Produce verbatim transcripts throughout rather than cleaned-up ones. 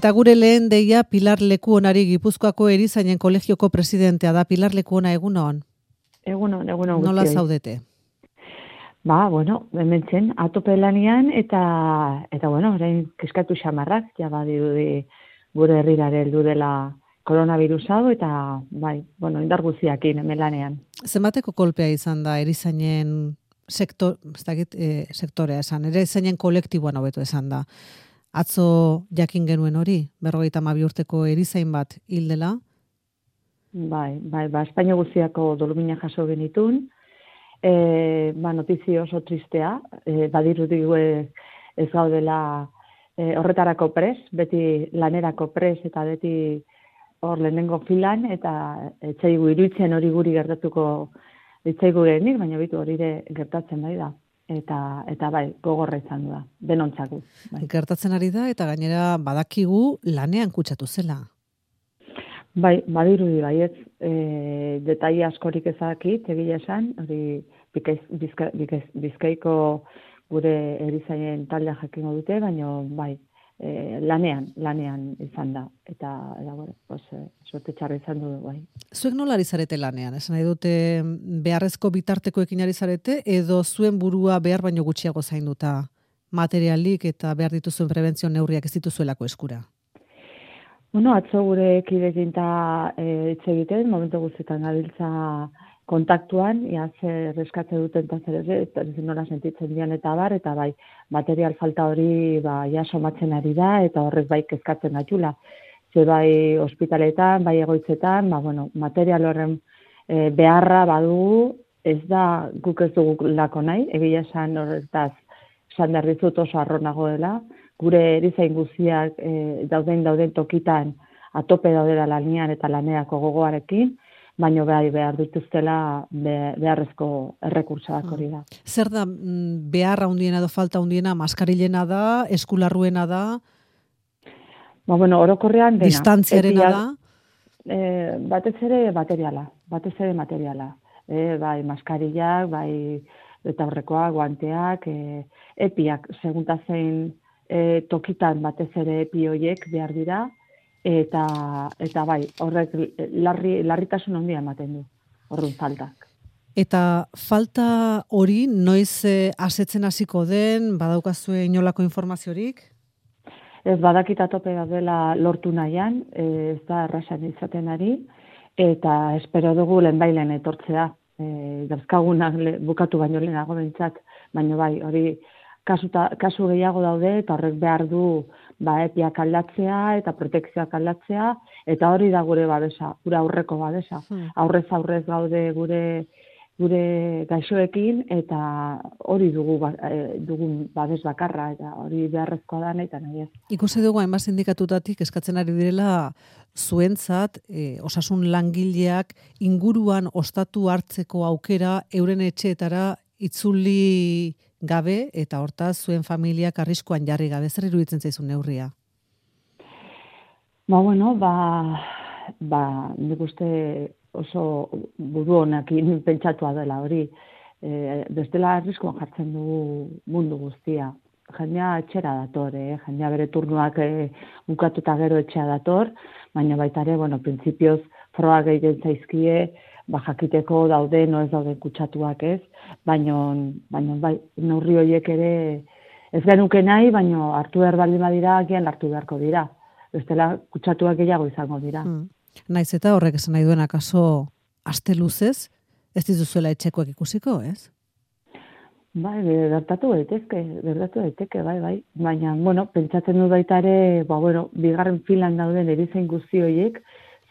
Eta gure lehen deia Pilar Lekuonari, Gipuzkoako Erizainen Kolegioko presidentea da. Pilar Lekuona, egunon? Egunon, egunon guztioi. Nola zaudete? Ba, bueno, hementzen atope lanian eta, eta bueno, orain keskatu xamarrak, ja badirudi gure herrirare heldu dela koronavirus hau, eta bai, bueno, indar guztiakin hemen lanean. Zenbateko kolpea izan da Erizainen sektor, ez dakit, e, sektorea esan, Erizainen kolektiboan hobeto esan da. Atzo jakin genuen hori, berrogeita hamabi urteko erizain bat hil dela? Bai, bai, ba, Espainia guztiako dolumina jaso genitun, e, ba, notizio oso tristea, e, badirudi ez gaudela e, horretarako pres, beti lanerako pres eta beti hor lehenengo filan, eta etzaigu iruditzen hori guri gertatuko etzaigu genik, baina bitu hori ere gertatzen bai da. Eta, eta bai, gogorra izan da, denontzako. Bai. Gertatzen ari da, eta gainera badakigu lanean kutsatu zela. Bai, badirudi baietz, e, detaile askorik ezakit, egia esan, hori bizkaiz, bizka, bizkaiz, bizkaiko gure erizainen taldea jakingo dute, baina bai, e, lanean, lanean izan da, eta, eta bueno, pues, e, sorte txarra izan du, bai. Zuek nola ari zarete lanean? Esan nahi dute beharrezko bitartekoekin ari zarete, edo zuen burua behar baino gutxiago zainduta materialik eta behar dituzuen prebentzio neurriak ez dituzuelako eskura? Bueno, atzo gure kidekin eta e, hitz egiten, momentu guztietan gabiltza kontaktuan, ia zer reskatze duten eta zer ere, eta nola sentitzen dian eta bar, eta bai, material falta hori ba, ja somatzen ari da, eta horrez bai kezkatzen gaitula. Ze bai ospitaletan, bai egoitzetan, ba, bueno, material horren e, beharra badugu, ez da guk ez dugu lako nahi, egia esan horretaz esan behar dizut oso arronago dela, gure erizain guztiak e, dauden dauden tokitan atope daudela lanean eta lanerako gogoarekin, baina bai behar dituztela be, beharrezko errekurtsoak hori da. Zer da beharra handiena edo falta handiena, maskarilena da, eskularruena da? Ba, bueno, orokorrean dena. Distantziarena da? E, batez ere materiala, batez ere materiala. E, bai, maskarillak, bai, eta horrekoak, guanteak, e, epiak, segunta zein e, tokitan batez ere epi horiek behar dira, eta, eta bai, horrek larri, larritasun handia ematen du, horren faltak. Eta falta hori noiz e, asetzen hasiko den, badaukazue inolako informaziorik? Ez badakit atope dela lortu nahian, ez da errasan izaten ari, eta espero dugu lehenbailen etortzea. E, Dauzkagunak bukatu baino lehenago behintzat, baina bai, hori kasuta, kasu gehiago daude, eta horrek behar du ba, epiak aldatzea eta protekzioak aldatzea, eta hori da gure babesa, gure aurreko babesa. Hmm. Aurrez aurrez gaude gure gure gaixoekin, eta hori dugu, e, dugun babes bakarra, eta hori beharrezkoa da nahi eta nahi ez. Ikusi dugu hainbat sindikatutatik eskatzen ari direla zuentzat, e, osasun langileak inguruan ostatu hartzeko aukera euren etxeetara itzuli gabe, eta hortaz zuen familiak arriskuan jarri gabe. Zer iruditzen zaizun neurria? Ba, bueno, ba, ba, nik uste oso buru honekin pentsatua dela hori. E, bestela arriskuan jartzen dugu mundu guztia. Jendea etxera dator, eh? Jendea bere turnuak e, bukatuta gero etxea dator, baina baita ere, bueno, printzipioz frogak egiten zaizkie, ba, jakiteko daude, no ez dauden kutsatuak ez, baina, baina bai, neurri horiek ere ez genuke nahi, baina hartu behar baldin badira, gian hartu beharko dira. Bestela kutsatuak gehiago izango dira. Hmm. Naiz eta horrek esan nahi duen akaso aste luzez, ez dituzuela etxekoak ikusiko, ez? Bai, gertatu daitezke, gertatu daiteke, bai, bai. Baina, bueno, pentsatzen du baita ere, ba, bueno, bigarren filan dauden erizain guzti horiek,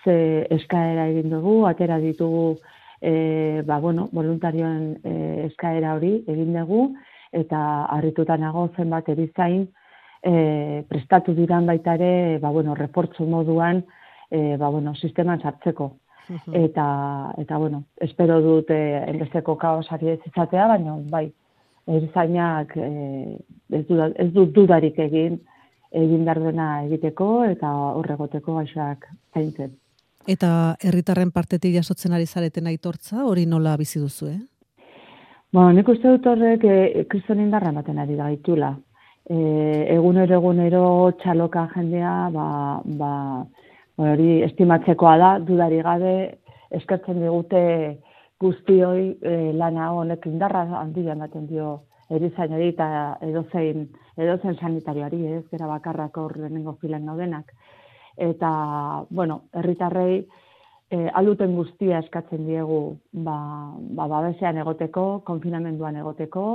ze eskaera egin dugu, atera ditugu, e, ba, bueno, voluntarioen e, eskaera hori egin dugu, eta harrituta nago zenbat erizain e, prestatu diran baita ere, ba, bueno, refortzu moduan, E, ba, bueno, sisteman sartzeko. Uh-huh. Eta, eta, bueno, espero dut eh, enbesteko kaosari ez izatea, baina, bai, erizainak eh, ez, duda, ez dut dudarik egin, egin behar dena egiteko, eta horregoteko gaixoak zaintzen. Eta herritarren partetik jasotzen ari zareten aitortza, hori nola bizi duzu, eh? Bueno, nik uste dut horrek eh, kriston indarra ematen ari da gaitula. e, egunero egunero txaloka jendea, ba, ba, hori estimatzekoa da, dudari gabe, eskertzen digute guztioi e, lana honek indarra handia ematen dio erizainari eta edozein, edozein sanitarioari, ez, gara bakarrak hor lehenengo filan gaudenak. Eta, bueno, herritarrei e, alduten guztia eskatzen diegu ba, ba, babesean egoteko, konfinamenduan egoteko,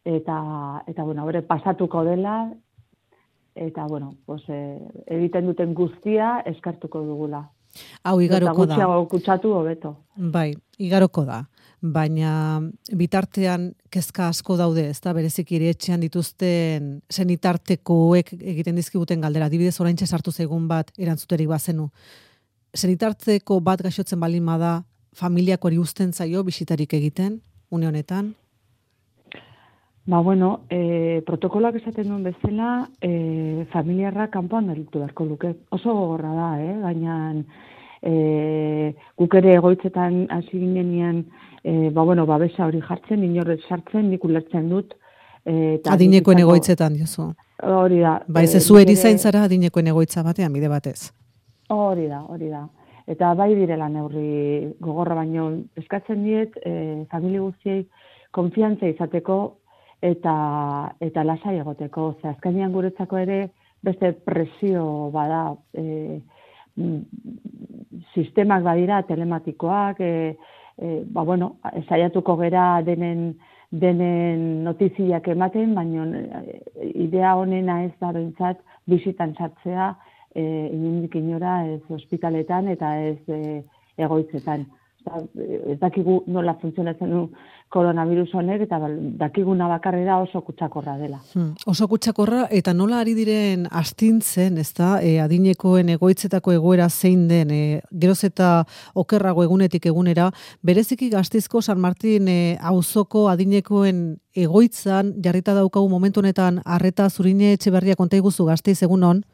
eta, eta bueno, hori pasatuko dela, eta, bueno, pues, e, egiten duten guztia eskartuko dugula. Hau igaroko da. Eta gutxiago kutsatu hobeto. Bai, igaroko da. Baina bitartean kezka asko daude, ezta bereziki ere etxean dituzten senitartekoek egiten dizkiguten galdera. Adibidez, oraintxe sartu zaigun bat erantzuterik bazenu. Senitarteko bat gaixotzen balin bada, familiakoari uzten zaio bisitarik egiten une honetan? Ba, bueno, e, protokoloak esaten duen bezala, e, familiarra kanpoan gelditu beharko luke. Oso gogorra da, eh? Baina e, guk ere egoitzetan hasi ginenean, e, ba, bueno, babesa hori jartzen, inorrez sartzen, nik ulertzen dut. E, adinekoen egoitzetan, diozu. Hori da. Ba, ez zu erizain zara adinekoen egoitza batean, bide batez. Hori da, hori da. Eta bai direla neurri gogorra baino, eskatzen diet, e, familia guztiei konfiantza izateko, eta eta lasai egoteko. Ze azkenean guretzako ere beste presio bada, e, sistemak badira telematikoak, e, e, ba bueno, saiatuko gera denen denen notiziak ematen, baina idea honena ez da behintzat bisitan sartzea, e, inondik inora ez ospitaletan eta ez e, egoitzetan. Ez dakigu nola funtzionatzen du koronavirus honek, eta dakiguna bakarrera oso kutsakorra dela. Hmm, oso kutsakorra, eta nola ari diren astintzen, ez da, e, adinekoen egoitzetako egoera zein den, e, geroz eta okerrago egunetik egunera, bereziki Gasteizko San Martin e, auzoko adinekoen egoitzan, jarrita daukagu momentu honetan, arreta Zurine Etxeberria konta iguzu Gasteiz egunon?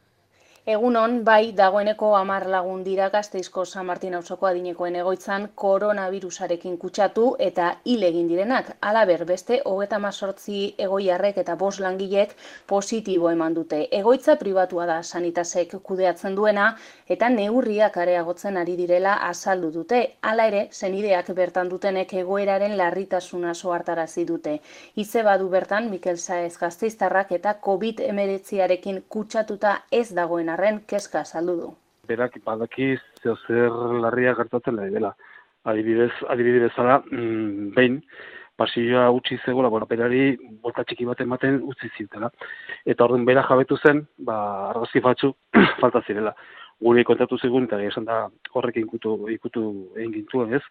Egunon, bai, dagoeneko hamar lagun dira Gasteizko San Martin auzoko adinekoen egoitzan koronavirusarekin kutsatu eta hil egin direnak. Halaber, beste hogeita hemezortzi egoiarrek eta bost langilek positibo eman dute. Egoitza pribatua da Sanitasek kudeatzen duena eta neurriak areagotzen ari direla azaldu dute. Hala ere, senideak bertan dutenek egoeraren larritasuna ohartarazi dute. Hitze badu bertan Mikel Saez Gasteiztarrak eta covid hemeretziarekin kutsatuta ez dagoen arren kezka saldu du. Berak badaki zer larria gertatzen da dela. Adibidez, adibidez bezala, mm, behin pasilloa utzi zegoela, bueno, berari bolta txiki bat ematen utzi zitela. Eta orduan bera jabetu zen, ba argazki batzuk falta zirela. Gure kontatu zigun eta esan da horrekin ikutu ikutu egin gintuen, ez?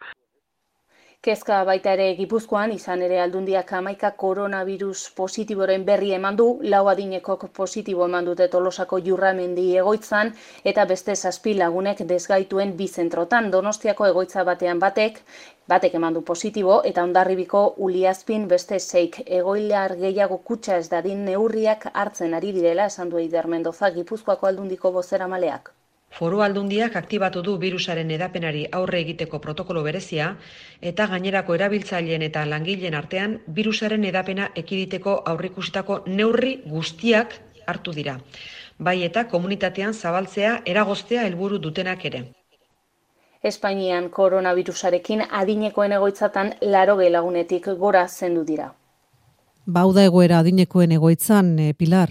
Kezka baita ere Gipuzkoan, izan ere Aldundiak hamaika koronavirus positiboren berri eman du, lau adinekok positibo eman dute Tolosako Jurramendi egoitzan, eta beste zazpi lagunek desgaituen bi zentrotan. Donostiako egoitza batean batek, batek eman du positibo, eta Hondarribiko Uliazpin beste seik egoilar gehiago kutsa ez dadin neurriak hartzen ari direla, esan du Eider Mendoza, Gipuzkoako Aldundiko bozeramaleak. Foru Aldundiak aktibatu du birusaren edapenari aurre egiteko protokolo berezia eta gainerako erabiltzaileen eta langileen artean birusaren edapena ekiditeko aurreikusitako neurri guztiak hartu dira. Bai eta komunitatean zabaltzea eragoztea helburu dutenak ere. Espainian koronavirusarekin adinekoen egoitzatan laurogei lagunetik gora zendu dira. Bauda egoera adinekoen egoitzan, e, Pilar,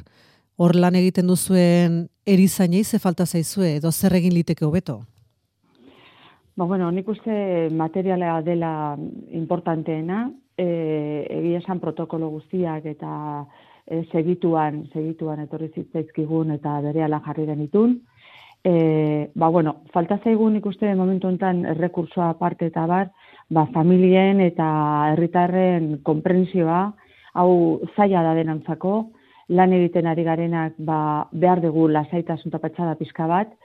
hor lan egiten duzuen erizainei ze falta zaizue, edo zer egin liteke hobeto? Ba, bueno, nik uste materiala dela importanteena, e, egia esan protokolo guztiak eta e, segituan, segituan etorri zitzaizkigun eta berehala jarri denitun. E, ba, bueno, falta zaigun ikuste momentu honetan errekursoa aparte eta bar, ba, familien eta herritarren konprentsioa, hau zaila da denantzako, lan egiten ari garenak ba, behar dugu lasaitasun eta patxada pixka bat,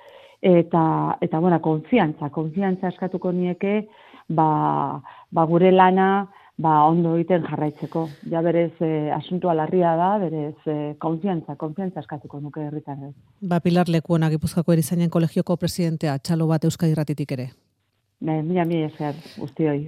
eta, eta bueno, konfiantza, konfiantza eskatuko nieke ba, ba gure lana ba, ondo egiten jarraitzeko. Ja berez eh, asuntua larria da, berez eh, konfiantza, konfiantza eskatuko nuke herritarrez. Ba, Pilar Lekuona, Gipuzkoako Erizainen Kolegioko presidentea, txalo bat Euskadi Irratitik ere. Mila, mila esker guztioi.